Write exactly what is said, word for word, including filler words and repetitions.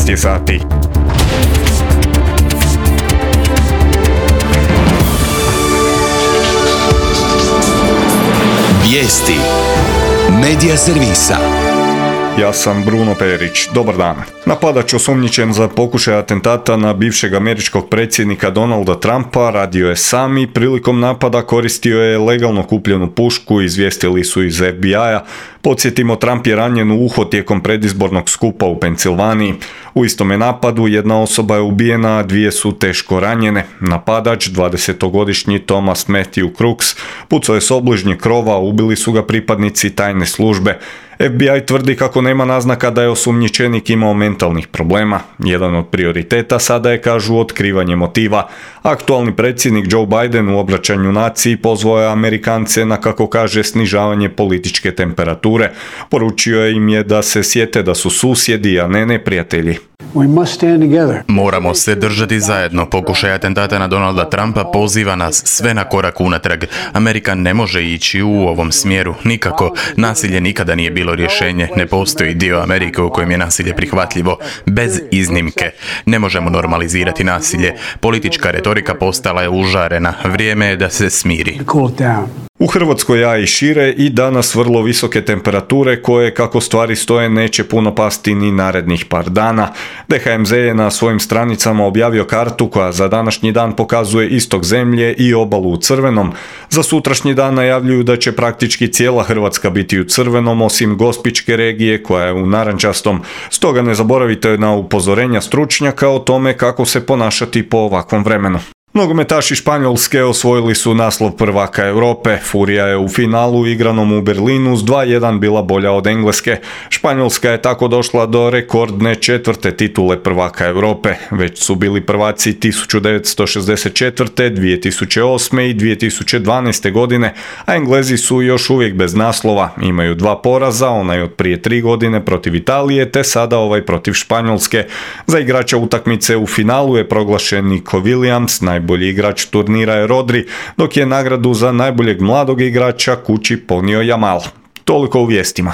šest je sati. Vijesti Medija servisa. Ja sam Bruno Perić. Dobar dan. Napadač osumnjičen za pokušaj atentata na bivšeg američkog predsjednika Donalda Trumpa radio je sam i prilikom napada koristio je legalno kupljenu pušku, izvijestili su iz F B I-a. Podsjetimo, Trump je ranjen u uho tijekom predizbornog skupa u Pensilvaniji. U istome napadu jedna osoba je ubijena, a dvije su teško ranjene. Napadač, dvadesetogodišnji Thomas Matthew Crooks, pucao je s obližnjeg krova, ubili su ga pripadnici tajne službe. F B I tvrdi kako nema naznaka da je osumnjičenik imao mentalnih problema. Jedan od prioriteta sada je, kažu, otkrivanje motiva. Aktualni predsjednik Joe Biden u obraćanju naciji pozvao je Amerikance na, kako kaže, snižavanje političke temperature. Poručio im je da se sjete da su susjedi, a ne neprijatelji. Moramo se držati zajedno. Pokušaj atentata na Donalda Trumpa poziva nas sve na korak unatrag. Amerika ne može ići u ovom smjeru. Nikako. Nasilje nikada nije bilo rješenje. Ne postoji dio Amerike u kojem je nasilje prihvatljivo. Bez iznimke. Ne možemo normalizirati nasilje. Politička retorika postala je užarena. Vrijeme je da se smiri. U Hrvatskoj, a i šire, i danas vrlo visoke temperature koje, kako stvari stoje, neće puno pasti ni narednih par dana. D H M Z je na svojim stranicama objavio kartu koja za današnji dan pokazuje istok zemlje i obalu u crvenom. Za sutrašnji dan najavljuju da će praktički cijela Hrvatska biti u crvenom, osim Gospićke regije koja je u narančastom. Stoga ne zaboravite na upozorenja stručnjaka o tome kako se ponašati po ovakvom vremenu. Nogometaši Španjolske osvojili su naslov prvaka Europe. Furija je u finalu igranom u Berlinu s dva jedan bila bolja od Engleske. Španjolska je tako došla do rekordne četvrte titule prvaka Europe. Već su bili prvaci tisuću devetsto šezdeset četvrte, dvije tisuće osme i dvije tisuće dvanaeste godine, a Englezi su još uvijek bez naslova. Imaju dva poraza, onaj od prije tri godine protiv Italije, te sada ovaj protiv Španjolske. Za igrača utakmice u finalu je proglašen Nico Williams, najbolji igrač turnira je Rodri, dok je nagradu za najboljeg mladog igrača kući ponio Jamal. Toliko u vijestima.